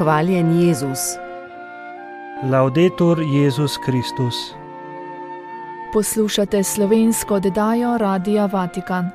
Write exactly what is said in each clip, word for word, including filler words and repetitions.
Hvaljen Jezus. Laudetur Jezus Kristus. Poslušate slovensko oddajo Radia Vatikan.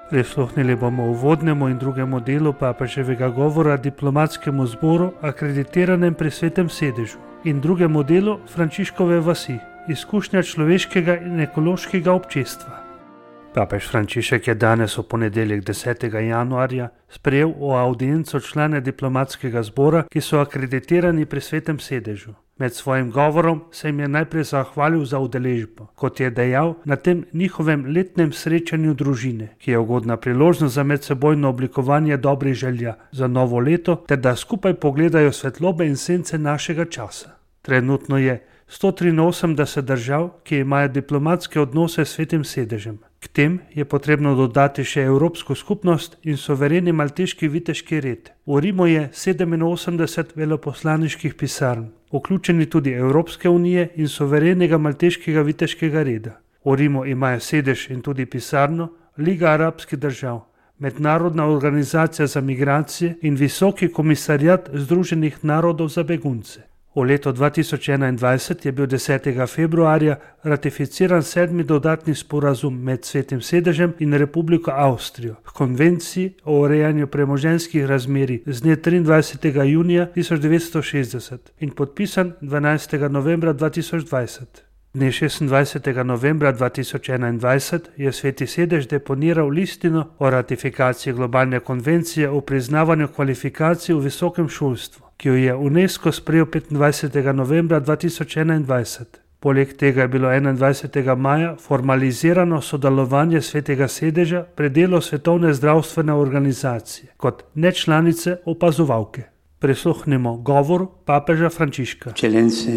Prisluhnili bomo uvodnemu in drugemu delu papeževega govora diplomatskemu zboru akreditiranem pri Svetem sedežu in drugemu delu Frančiškove vasi, izkušnja človeškega in ekološkega občestva. Papež Frančišek je danes v ponedeljek desetega januarja sprejel v audienco člane diplomatskega zbora, ki so akreditirani pri Svetem sedežu. Med svojim govorom se jim je najprej zahvalil za udeležbo, kot je dejal, na tem njihovem letnem srečanju družine, ki je ugodna priložnost za medsebojno oblikovanje dobrih želja za novo leto, ter da skupaj pogledajo svetlobe in sence našega časa. Trenutno je sto triinosemdeset držav, ki imajo diplomatske odnose s Svetim sedežem. K tem je potrebno dodati še Evropsko skupnost in suvereni malteški viteški red. V Rimu je sedeminosemdeset veleposlaniških pisarn, vključeni tudi Evropske unije in suverenega malteškega viteškega reda. V Rimu imajo sedež in tudi pisarno Liga arabskih držav, Mednarodna organizacija za migracije in Visoki komisariat Združenih narodov za begunce. V letu dva tisoč enaindvajset je bil desetega februarja ratificiran sedmi dodatni sporazum med Svetim sedežem in Republiko Avstrijo k konvenciji o urejanju premoženjskih razmerij z dne triindvajsetega junija tisoč devetsto šestdeset in podpisan dvanajstega novembra dva tisoč dvajset. Dne šestindvajsetega novembra dva tisoč enaindvajset je Sveti sedež deponiral listino o ratifikaciji globalne konvencije o priznavanju kvalifikacij v visokem šolstvu, ki jo je UNESCO sprejel petindvajsetega novembra dva tisoč enaindvajset. Poleg tega je bilo enaindvajsetega maja formalizirano sodelovanje Svetega sedeža pri delu Svetovne zdravstvene organizacije kot nečlanice opazovalke. Prisluhnimo govoru papeža Frančiška. Eccellenze,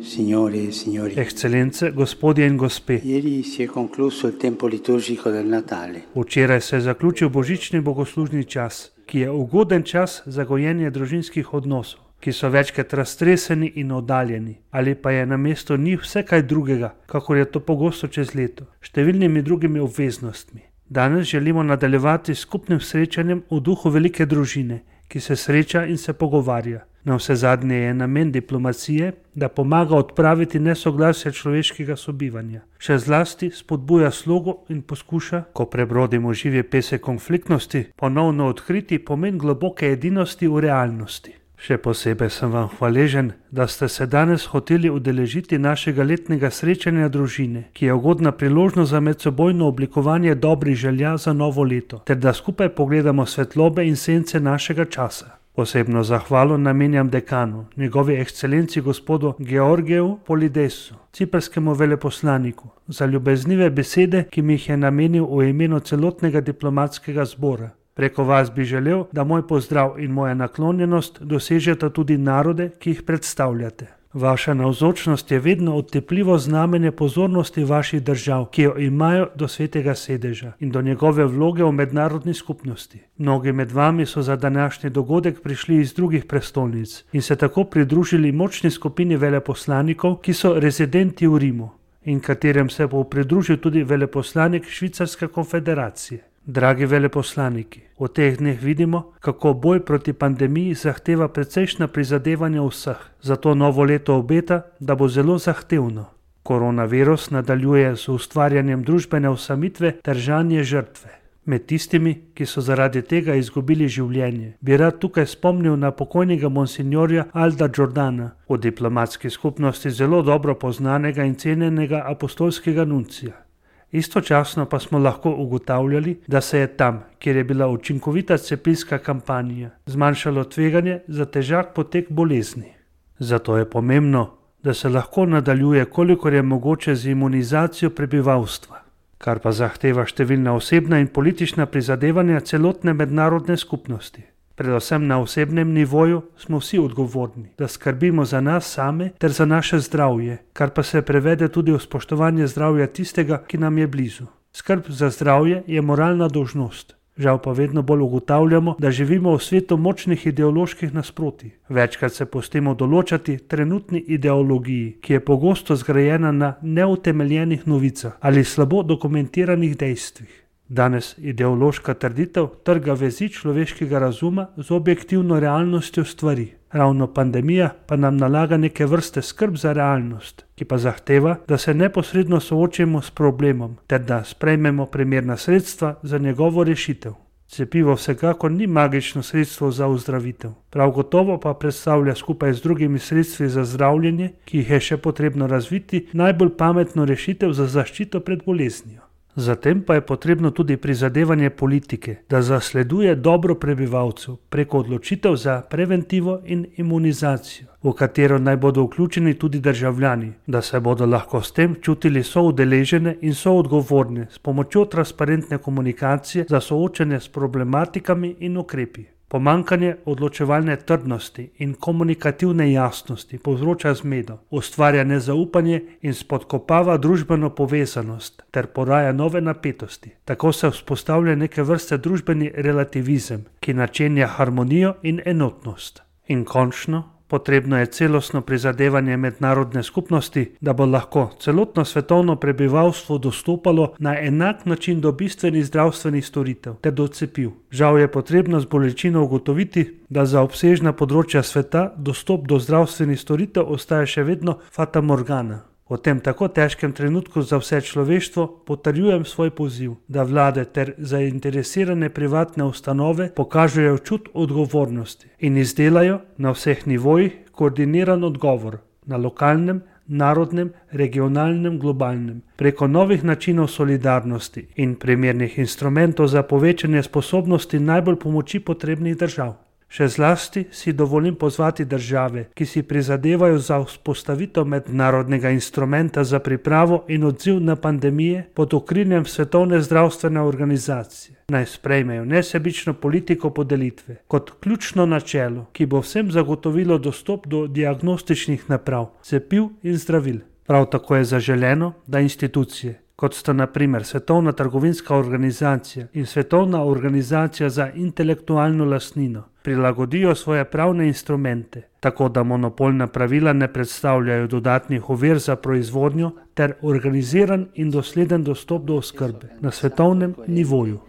signore e signori. Ekscelence, gospodje in gospe. Ieri si è concluso il tempo liturgico del Natale. Včeraj se je zaključil božični bogoslužni čas, ki je ugoden čas za gojenje družinskih odnosov, ki so večkrat raztreseni in oddaljeni, ali pa je na mesto njih vse kaj drugega, kakor je to pogosto čez leto, številnimi drugimi obveznostmi. Danes želimo nadaljevati s skupnim srečanjem v duhu velike družine, ki se sreča in se pogovarja. Na vse zadnje je namen diplomacije, da pomaga odpraviti nesoglasje človeškega sobivanja. Še zlasti spodbuja slogo in poskuša, ko prebrodimo živje pese konfliktnosti, ponovno odkriti pomen globoke edinosti v realnosti. Še posebej sem vam hvaležen, da ste se danes hoteli udeležiti našega letnega srečanja družine, ki je ugodna priložnost za medsebojno oblikovanje dobrih želja za novo leto, ter da skupaj pogledamo svetlobe in sence našega časa. Posebno zahvalo namenjam dekanu, njegovi ekscelenci gospodu Georgiju Polidesu, ciprskemu veleposlaniku, za ljubeznive besede, ki mi jih je namenil v imenu celotnega diplomatskega zbora. Preko vas bi želel, da moj pozdrav in moja naklonjenost dosežeta tudi narode, ki jih predstavljate. Vaša navzočnost je vedno otepljivo znamenje pozornosti vaših držav, ki jo imajo do Svetega sedeža in do njegove vloge v mednarodni skupnosti. Mnogi med vami so za današnji dogodek prišli iz drugih prestolnic in se tako pridružili močni skupini veleposlanikov, ki so rezidenti v Rimu in katerem se bo pridružil tudi veleposlanik Švicarske konfederacije. Dragi veleposlaniki, v teh dneh vidimo, kako boj proti pandemiji zahteva precejšnja prizadevanja vseh. Zato novo leto obeta, da bo zelo zahtevno. Koronavirus nadaljuje z ustvarjanjem družbene osamitve ter žanje žrtve. Med tistimi, ki so zaradi tega izgubili življenje, bi rad tukaj spomnil na pokojnega monsignorja Alda Giordana, v diplomatski skupnosti zelo dobro poznanega in cenjenega apostolskega nuncija. Istočasno pa smo lahko ugotavljali, da se je tam, kjer je bila učinkovita cepilska kampanja, zmanjšalo tveganje za težak potek bolezni. Zato je pomembno, da se lahko nadaljuje, kolikor je mogoče z imunizacijo prebivalstva, kar pa zahteva številna osebna in politična prizadevanja celotne mednarodne skupnosti. Predvsem na osebnem nivoju smo vsi odgovorni, da skrbimo za nas same ter za naše zdravje, kar pa se prevede tudi v spoštovanje zdravja tistega, ki nam je blizu. Skrb za zdravje je moralna dolžnost. Žal pa vedno bolj ugotavljamo, da živimo v svetu močnih ideoloških nasprotij. Večkrat se pustimo določati trenutni ideologiji, ki je pogosto zgrajena na neutemeljenih novicah ali slabo dokumentiranih dejstvih. Danes ideološka trditev trga vezi človeškega razuma z objektivno realnostjo stvari. Ravno pandemija pa nam nalaga neke vrste skrb za realnost, ki pa zahteva, da se neposredno soočimo s problemom, ter da sprejmemo primerna sredstva za njegovo rešitev. Cepivo vsekakor ni magično sredstvo za ozdravitev, prav gotovo pa predstavlja skupaj z drugimi sredstvi za zdravljenje, ki jih je še potrebno razviti, najbolj pametno rešitev za zaščito pred boleznijo. Zatem pa je potrebno tudi prizadevanje politike, da zasleduje dobro prebivalcev preko odločitev za preventivo in imunizacijo, v katero naj bodo vključeni tudi državljani, da se bodo lahko s tem čutili soudeležene in soodgovorne s pomočjo transparentne komunikacije za soočanje s problematikami in ukrepi. Pomanjkanje odločevalne trdnosti in komunikativne jasnosti povzroča zmedo, ustvarja nezaupanje in spodkopava družbeno povezanost ter poraja nove napetosti. Tako se vzpostavlja neke vrste družbeni relativizem, ki načenja harmonijo in enotnost. In končno, potrebno je celostno prizadevanje mednarodne skupnosti, da bo lahko celotno svetovno prebivalstvo dostopalo na enak način do bistvenih zdravstvenih storitev ter do cepiv. Žal je potrebno z bolečino ugotoviti, da za obsežna področja sveta dostop do zdravstvenih storitev ostaja še vedno fata morgana. V tem tako težkem trenutku za vse človeštvo potrjujem svoj poziv, da vlade ter zainteresirane privatne ustanove pokažejo čut odgovornosti in izdelajo na vseh nivojih koordiniran odgovor na lokalnem, narodnem, regionalnem, globalnem, preko novih načinov solidarnosti in primernih instrumentov za povečanje sposobnosti najbolj pomoči potrebnih držav. Še zlasti si dovolim pozvati države, ki si prizadevajo za vzpostavitev mednarodnega instrumenta za pripravo in odziv na pandemije pod okriljem Svetovne zdravstvene organizacije. Naj sprejmejo nesebično politiko podelitve kot ključno načelo, ki bo vsem zagotovilo dostop do diagnostičnih naprav, cepiv in zdravil. Prav tako je zaželeno, da institucije, kot sta na primer Svetovna trgovinska organizacija in Svetovna organizacija za intelektualno lastnino, prilagodijo svoje pravne instrumente, tako da monopolna pravila ne predstavljajo dodatnih ovir za proizvodnjo ter organiziran in dosleden dostop do oskrbe na svetovnem nivoju.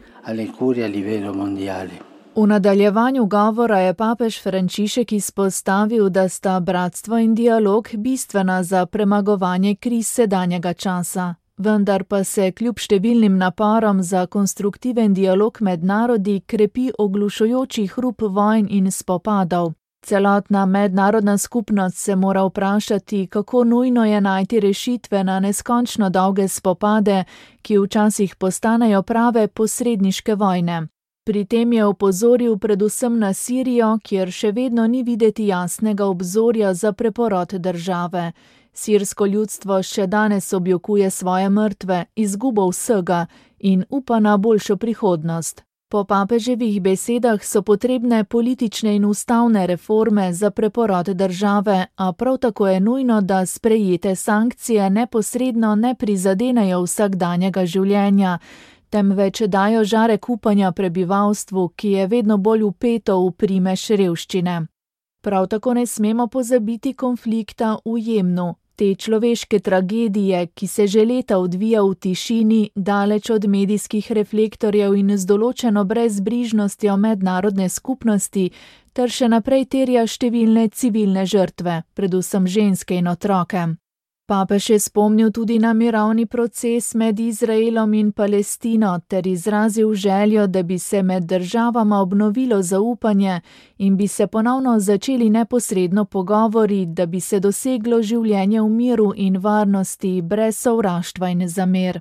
V nadaljevanju govora je papež Frančišek izpostavil, da sta bratstvo in dialog bistvena za premagovanje kriz sedanjega časa. Vendar pa se kljub številnim naporom za konstruktiven dialog med narodi krepi oglušujoči hrup vojn in spopadov. Celotna mednarodna skupnost se mora vprašati, kako nujno je najti rešitve na neskončno dolge spopade, ki včasih postanejo prave posredniške vojne. Pri tem je opozoril predvsem na Sirijo, kjer še vedno ni videti jasnega obzorja za preporod države. Sirsko ljudstvo še danes objokuje svoje mrtve, izgubo vsega in upa na boljšo prihodnost. Po papeževih besedah so potrebne politične in ustavne reforme za preporod države, a prav tako je nujno, da sprejete sankcije neposredno ne prizadenejo vsakdanjega življenja, temveč dajo žarek upanja prebivalstvu, ki je vedno bolj vpeto v primež revščine. Prav tako ne smemo pozabiti konflikta v Jemnu. Te človeške tragedije, ki se že leta odvija v tišini, daleč od medijskih reflektorjev in z določeno brezbrižnostjo mednarodne skupnosti, ter še naprej terja številne civilne žrtve, predvsem ženske in otroke. Papež je spomnil tudi na mirovni proces med Izraelom in Palestino ter izrazil željo, da bi se med državama obnovilo zaupanje in bi se ponovno začeli neposredno pogovori, da bi se doseglo življenje v miru in varnosti brez sovraštva in zamer.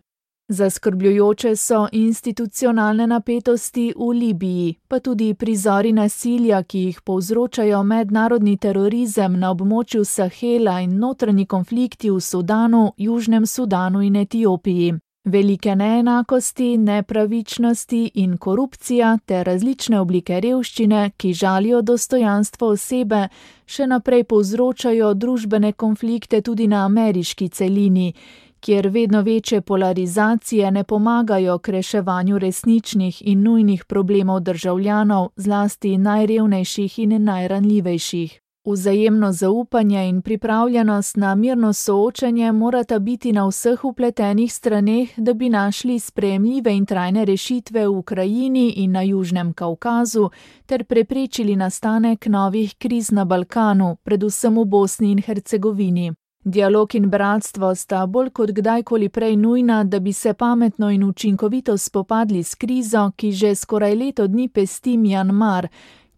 Zaskrbljujoče so institucionalne napetosti v Libiji, pa tudi prizori nasilja, ki jih povzročajo mednarodni terorizem na območju Sahela in notranji konflikti v Sudanu, Južnem Sudanu in Etiopiji. Velike neenakosti, nepravičnosti in korupcija ter različne oblike revščine, ki žalijo dostojanstvo osebe, še naprej povzročajo družbene konflikte tudi na ameriški celini, kjer vedno večje polarizacije ne pomagajo k reševanju resničnih in nujnih problemov državljanov, zlasti najrevnejših in najranljivejših. Vzajemno zaupanje in pripravljenost na mirno soočanje morata biti na vseh vpletenih straneh, da bi našli sprejemljive in trajne rešitve v Ukrajini in na Južnem Kavkazu ter preprečili nastanek novih kriz na Balkanu, predvsem v Bosni in Hercegovini. Dialog in bratstvo sta bolj kot kdajkoli prej nujna, da bi se pametno in učinkovito spopadli s krizo, ki že skoraj leto dni pesti Mjanmar,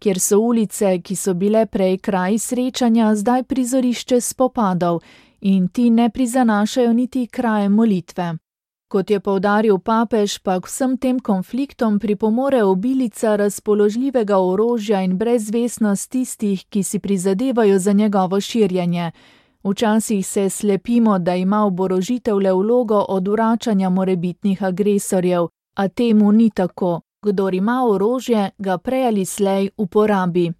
kjer so ulice, ki so bile prej kraji srečanja, zdaj prizorišče spopadov in ti ne prizanašajo niti kraje molitve. Kot je poudaril papež, pa k vsem tem konfliktom pripomore obilica razpoložljivega orožja in brezvestnost tistih, ki si prizadevajo za njegovo širjenje. Včasih se slepimo, da ima oborožitev le vlogo odvračanja morebitnih agresorjev, a temu ni tako. Kdor ima orožje, ga prej ali slej uporabi.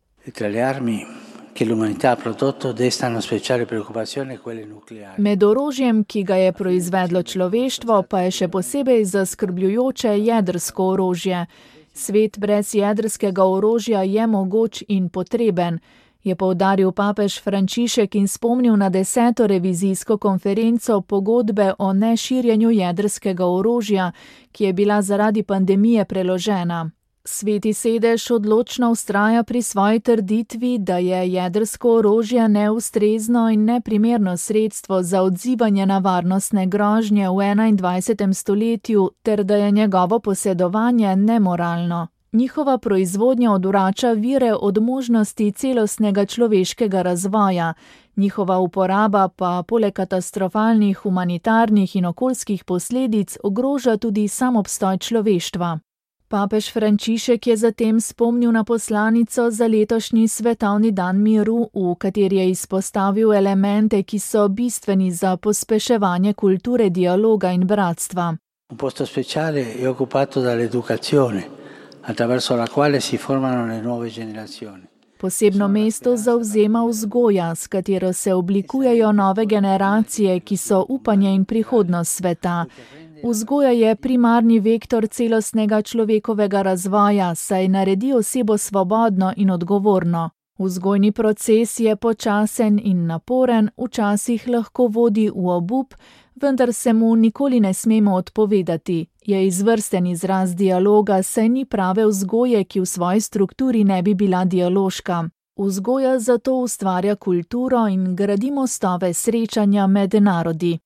Med orožjem, ki ga je proizvedlo človeštvo, pa je še posebej zaskrbljujoče jedrsko orožje. Svet brez jedrskega orožja je mogoč in potreben, je poudaril papež Frančišek in spomnil na deseto revizijsko konferenco pogodbe o neširjenju jedrskega orožja, ki je bila zaradi pandemije preložena. Sveti sedež odločno vztraja pri svoji trditvi, da je jedrsko orožje neustrezno in neprimerno sredstvo za odzivanje na varnostne grožnje v enaindvajsetem stoletju ter da je njegovo posedovanje nemoralno. Njihova proizvodnja odvrača vire od možnosti celostnega človeškega razvoja, njihova uporaba pa poleg katastrofalnih humanitarnih in okoljskih posledic ogroža tudi sam obstoj človeštva. Papež Frančišek je zatem spomnil na poslanico za letošnji svetovni dan miru, v kateri je izpostavil elemente, ki so bistveni za pospeševanje kulture dialoga in bratstva. Un posto speciale je occupato dall'educazione, attraverso la quale si formano le nuove generazioni. Posebno mesto zavzema vzgoja, s katero se oblikujejo nove generacije, ki so upanje in prihodnost sveta. Vzgoja je primarni vektor celostnega človekovega razvoja, saj naredi osebo svobodno in odgovorno. Vzgojni proces je počasen in naporen, včasih lahko vodi v obup, vendar se mu nikoli ne smemo odpovedati. Je izvrsten izraz dialoga, saj ni prave vzgoje, ki v svoji strukturi ne bi bila dialoška. Vzgoja zato ustvarja kulturo in gradi mostove srečanja med narodi.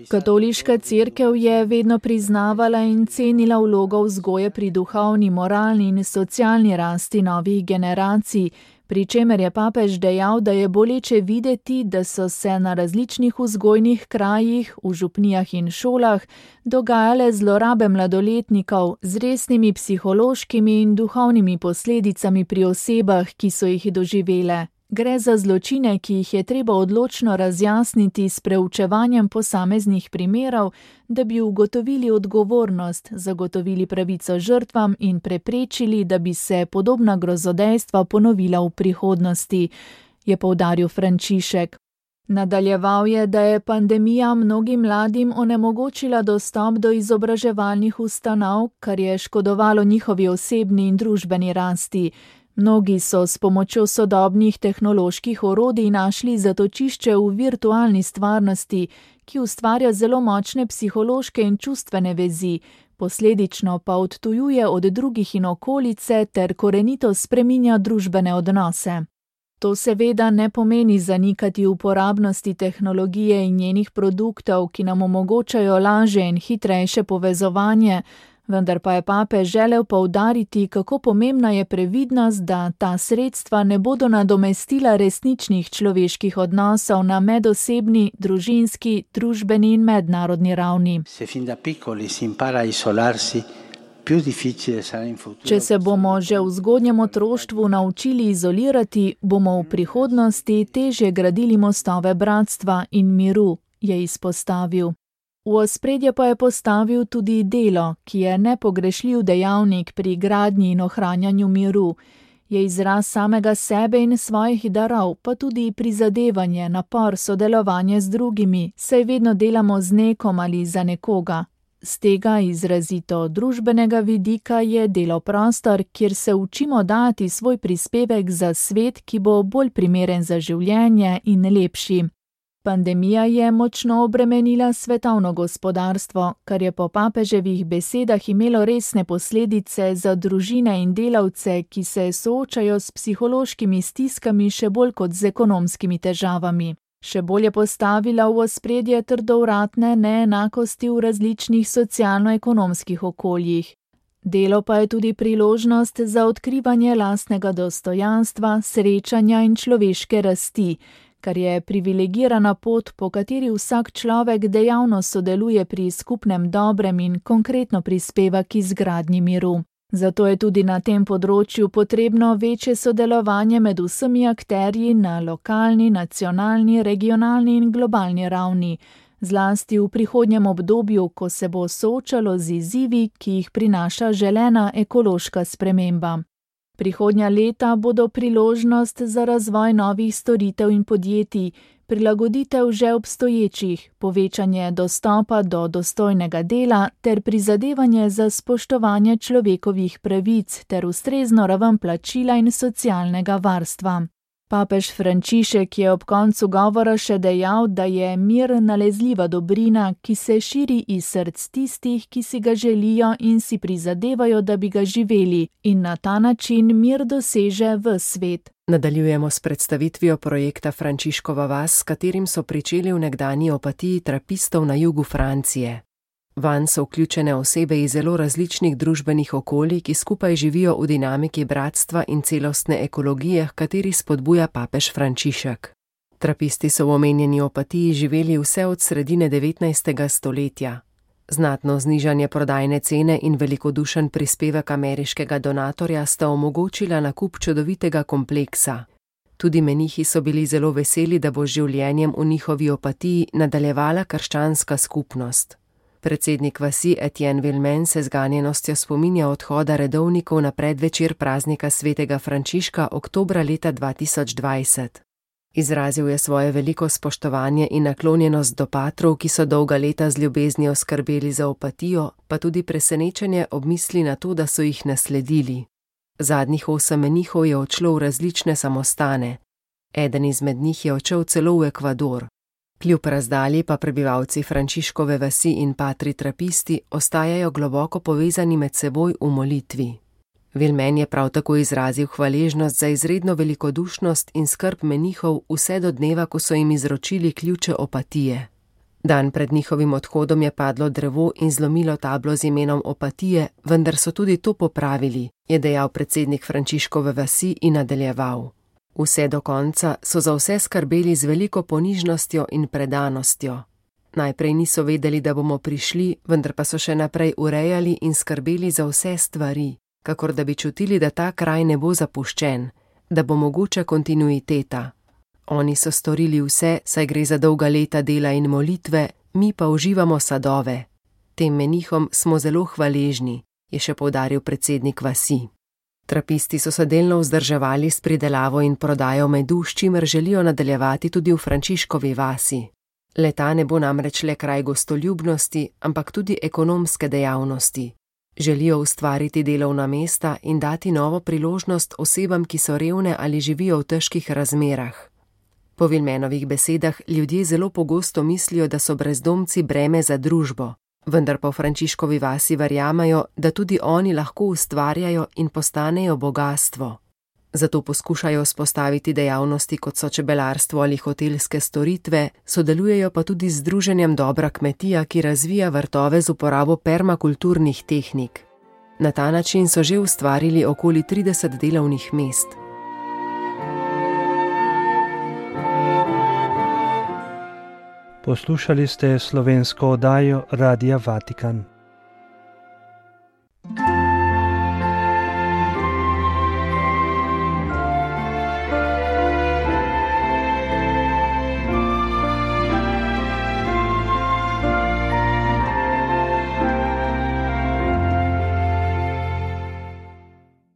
Katoliška cerkev je vedno priznavala in cenila vlogo vzgoje pri duhovni, moralni in socialni rasti novih generacij, pri čemer je papež dejal, da je boleče videti, da so se na različnih vzgojnih krajih, v župnijah in šolah dogajale zlorabe mladoletnikov z resnimi psihološkimi in duhovnimi posledicami pri osebah, ki so jih doživele. Gre za zločine, ki jih je treba odločno razjasniti s preučevanjem posameznih primerov, da bi ugotovili odgovornost, zagotovili pravico žrtvam in preprečili, da bi se podobna grozodejstva ponovila v prihodnosti, je poudaril Frančišek. Nadaljeval je, da je pandemija mnogim mladim onemogočila dostop do izobraževalnih ustanov, kar je škodovalo njihovi osebni in družbeni rasti. Mnogi so s pomočjo sodobnih tehnoloških orodij našli zatočišče v virtualni stvarnosti, ki ustvarja zelo močne psihološke in čustvene vezi, posledično pa odtujuje od drugih in okolice ter korenito spreminja družbene odnose. To seveda ne pomeni zanikati uporabnosti tehnologije in njenih produktov, ki nam omogočajo lažje in hitrejše povezovanje, vendar pa je papež želel poudariti, kako pomembna je previdnost, da ta sredstva ne bodo nadomestila resničnih človeških odnosov na medosebni, družinski, družbeni in mednarodni ravni. Če se bomo že v zgodnjem otroštvu naučili izolirati, bomo v prihodnosti težje gradili mostove bratstva in miru, je izpostavil. V ospredje pa je postavil tudi delo, ki je nepogrešljiv dejavnik pri gradnji in ohranjanju miru. Je izraz samega sebe in svojih darov, pa tudi prizadevanje, napor, sodelovanje z drugimi, saj vedno delamo z nekom ali za nekoga. Z tega izrazito družbenega vidika je delo prostor, kjer se učimo dati svoj prispevek za svet, ki bo bolj primeren za življenje in lepši. Pandemija je močno obremenila svetovno gospodarstvo, kar je po papeževih besedah imelo resne posledice za družine in delavce, ki se soočajo s psihološkimi stiskami še bolj kot z ekonomskimi težavami. Še bolj je postavila v ospredje trdovratne neenakosti v različnih socialno-ekonomskih okoljih. Delo pa je tudi priložnost za odkrivanje lastnega dostojanstva, srečanja in človeške rasti, kar je privilegirana pot, po kateri vsak človek dejavno sodeluje pri skupnem dobrem in konkretno prispeva k izgradnji miru. Zato je tudi na tem področju potrebno večje sodelovanje med vsemi akterji na lokalni, nacionalni, regionalni in globalni ravni, zlasti v prihodnjem obdobju, ko se bo soočalo z izzivi, ki jih prinaša želena ekološka sprememba. Prihodnja leta bodo priložnost za razvoj novih storitev in podjetij, prilagoditev že obstoječih, povečanje dostopa do dostojnega dela ter prizadevanje za spoštovanje človekovih pravic ter ustrezno raven plačila in socialnega varstva. Papež Frančišek je ob koncu govora še dejal, da je mir nalezljiva dobrina, ki se širi iz src tistih, ki si ga želijo in si prizadevajo, da bi ga živeli, in na ta način mir doseže ves svet. Nadaljujemo s predstavitvijo projekta Frančiškova vas, s katerim so pričeli v nekdanji Opatiji trapistov na jugu Francije. Vanj so vključene osebe iz zelo različnih družbenih okolij, ki skupaj živijo v dinamiki bratstva in celostne ekologije, h kateri spodbuja papež Frančišek. Trapisti so v omenjeni Opatiji živeli vse od sredine devetnajstega stoletja. Znatno znižanje prodajne cene in velikodušen prispevek ameriškega donatorja sta omogočila nakup čudovitega kompleksa. Tudi menihi so bili zelo veseli, da bo z življenjem v njihovi Opatiji nadaljevala krščanska skupnost. Predsednik vasi Etienne Villemain se z ganjenostjo spominja odhoda redovnikov na predvečer praznika svetega Frančiška oktobra leta dva tisoč dvajset. Izrazil je svoje veliko spoštovanje in naklonjenost do patrov, ki so dolga leta z ljubeznijo skrbeli za Opatijo, pa tudi presenečenje ob misli na to, da so jih nasledili. Zadnjih osem menihov je odšlo v različne samostane. Eden izmed njih je odšel celo v Ekvador. Kljub razdalji pa prebivalci Frančiškove vasi in patri trapisti ostajajo globoko povezani med seboj v molitvi. Villemain je prav tako izrazil hvaležnost za izredno velikodušnost in skrb menihov vse do dneva, ko so jim izročili ključe Opatije. Dan pred njihovim odhodom je padlo drevo in zlomilo tablo z imenom Opatije, vendar so tudi to popravili, je dejal predsednik Frančiškove vasi in nadaljeval. Vse do konca so za vse skrbeli z veliko ponižnostjo in predanostjo. Najprej niso vedeli, da bomo prišli, vendar pa so še naprej urejali in skrbeli za vse stvari, kakor da bi čutili, da ta kraj ne bo zapuščen, da bo mogoča kontinuiteta. Oni so storili vse, saj gre za dolga leta dela in molitve, mi pa uživamo sadove. Tem menihom smo zelo hvaležni, je še poudaril predsednik vasi. Trapisti so se delno vzdrževali s pridelavo in prodajo medu, s čimer želijo nadaljevati tudi v Frančiškovi vasi. Le-ta ne bo namreč le kraj gostoljubnosti, ampak tudi ekonomske dejavnosti. Želijo ustvariti delovna mesta in dati novo priložnost osebam, ki so revne ali živijo v težkih razmerah. Po Villemanovih besedah ljudje zelo pogosto mislijo, da so brezdomci breme za družbo. Vendar pa v Frančiškovi vasi verjamajo, da tudi oni lahko ustvarjajo in postanejo bogastvo. Zato poskušajo vzpostaviti dejavnosti, kot so čebelarstvo ali hotelske storitve, sodelujejo pa tudi z združenjem Dobra kmetija, ki razvija vrtove z uporabo permakulturnih tehnik. Na ta način so že ustvarili okoli trideset delovnih mest. Poslušali ste slovensko oddajo Radia Vatikan.